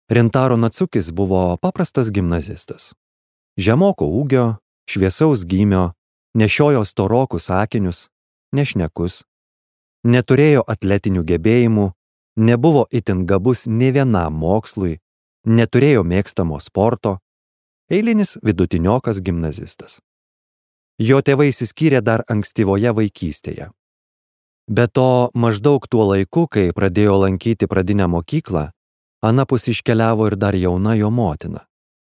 Rintaro Natsukis buvo paprastas gimnazistas. Žemoko ūgio, šviesaus gymio, nešiojo storokus akinius, nešnekus, neturėjo atletinių gebėjimų, nebuvo itin gabus nė vienam mokslui, neturėjo mėgstamo sporto, eilinis vidutiniokas gimnazistas. Jo tėvai išsiskyrė dar ankstyvoje vaikystėje. Be to, maždaug tuo laiku, kai pradėjo lankyti pradinę mokyklą, anapus iškeliavo ir dar jauna jo motina.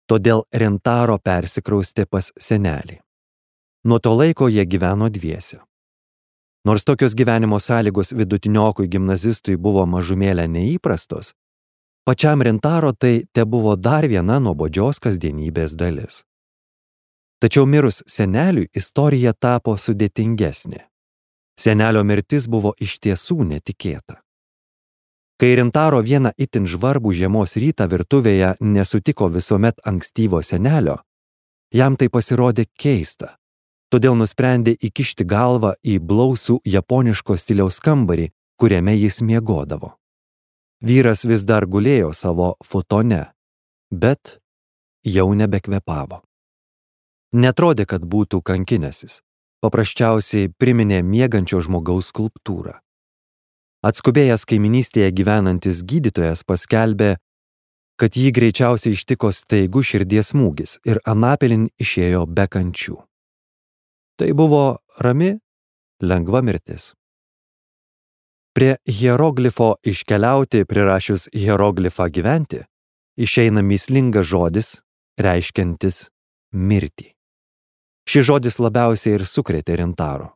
Todėl Rintaro persikraustė pas senelį. Nuo to laiko jie gyveno dviese. Nors tokios gyvenimo sąlygos vidutiniokui gimnazistui buvo mažumėlę neįprastos, pačiam Rintaro tai tebuvo dar viena nuobodžios kasdienybės dalis. Tačiau mirus seneliui istorija tapo sudėtingesnė. Senelio mirtis buvo iš tiesų netikėta. Kai Rintaro vieną itin žvarbų žiemos rytą virtuvėje nesutiko visuomet ankstyvo senelio, jam tai pasirodė keista, todėl nusprendė įkišti galvą į blausų japoniško stiliaus kambarį, kuriame jis miegodavo. Vyras vis dar gulėjo savo futone, bet jau nebekvėpavo. Netrodė, kad būtų kankinęsis, paprasčiausiai priminė miegančio žmogaus skulptūrą. Atskubėjęs kaiminystėje gyvenantis gydytojas paskelbė, kad jį greičiausiai ištiko staigus širdies smūgis ir anapilin išėjo be kančių. Tai buvo rami, lengva mirtis. Prie hieroglifo iškeliauti prirašius hieroglifą gyventi, išeina mįslingas žodis, reiškiantis mirtį. Šis žodis labiausiai ir sukrėtė Rintaro.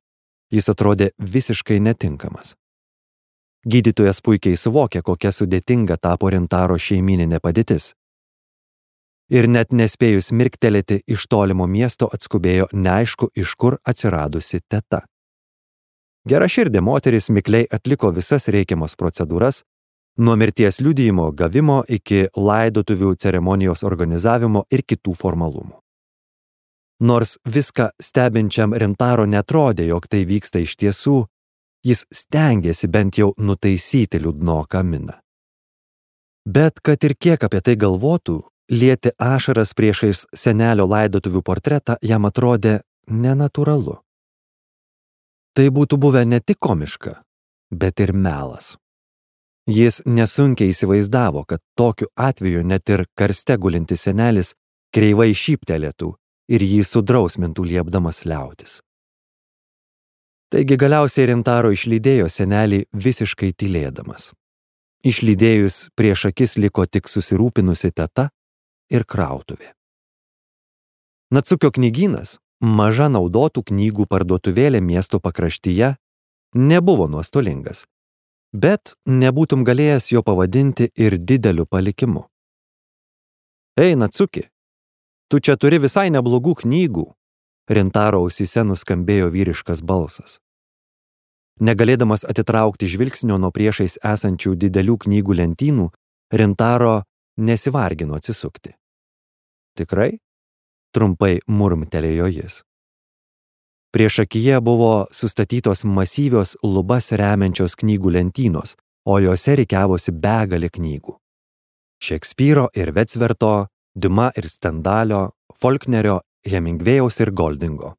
Jis atrodė visiškai netinkamas. Gydytojas puikiai suvokė, kokia sudėtinga tapo Rintaro šeimyninė padėtis. Ir net nespėjus mirktelėti iš tolimo miesto atskubėjo neaišku, iš kur atsiradusi teta. Geraširdė moteris mikliai atliko visas reikiamas procedūras, nuo mirties liudijimo gavimo iki laidotuvių ceremonijos organizavimo ir kitų formalumų. Nors viską stebinčiam Rintaro netrodė, jog tai vyksta iš tiesų, jis stengėsi bent jau nutaisyti liūdnoką miną. Bet kad ir kiek apie tai galvotų, lieti ašaras priešais senelio laidotuvių portretą jam atrodė nenatūralu. Tai būtų buvę ne tik komiška, bet ir melas. Jis nesunkiai įsivaizdavo, kad tokiu atveju net ir karste gulintis senelis kreivai šyptelėtų ir jį sudrausmintų liepdamas liautis. Taigi galiausiai Rintaro išlydėjo senelį visiškai tylėdamas. Išlydėjus prieš akis liko tik susirūpinusi teta ir krautuvė. Natsukio knygynas, maža naudotų knygų parduotuvėlė miesto pakraštyje, nebuvo nuostolingas, bet nebūtum galėjęs jo pavadinti ir dideliu palikimu. Ei, Natsuki, tu čia turi visai neblogų knygų, Rintaro ausyse nuskambėjo vyriškas balsas. Negalėdamas atitraukti žvilgsnio nuo priešais esančių didelių knygų lentynų, Rintaro nesivargino atsisukti. Tikrai? Trumpai murmtelėjo jis. Priešakyje buvo sustatytos masyvios lubas remiančios knygų lentynos, o jose rikiavosi begalė knygų. Šekspyro ir Vetsverto, Diuma ir Stendalio, Folknerio, Hemingvėjaus ir Goldingo.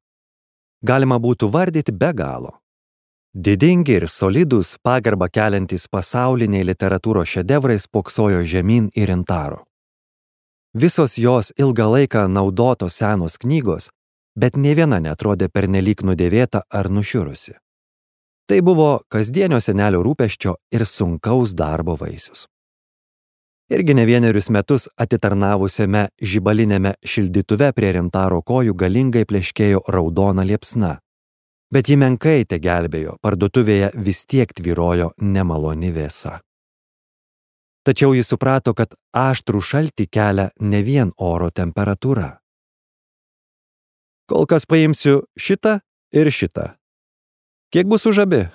Galima būtų vardyti be galo. Didingi ir solidūs pagarbą keliantys pasauliniai literatūros šedevrai spoksojo žemyn į Rintaro. Visos jos ilgą laiką naudotos senos knygos, bet nė viena neatrodė pernelyg nudėvėta ar nušiurusi. Tai buvo kasdienio senelio rūpesčio ir sunkaus darbo vaisius. Irgi ne vienerius metus atitarnavusiame žibalinėme šildytuve prie Rintaro kojų galingai pleškėjo raudona liepsna, bet ji menkai tegelbėjo, parduotuvėje vis tiek tvyrojo nemaloni vėsa. Tačiau jis suprato, kad aštrų šaltį kelia ne vien oro temperatūra. Kol kas paimsiu šitą ir šitą. Kiek bus už abi?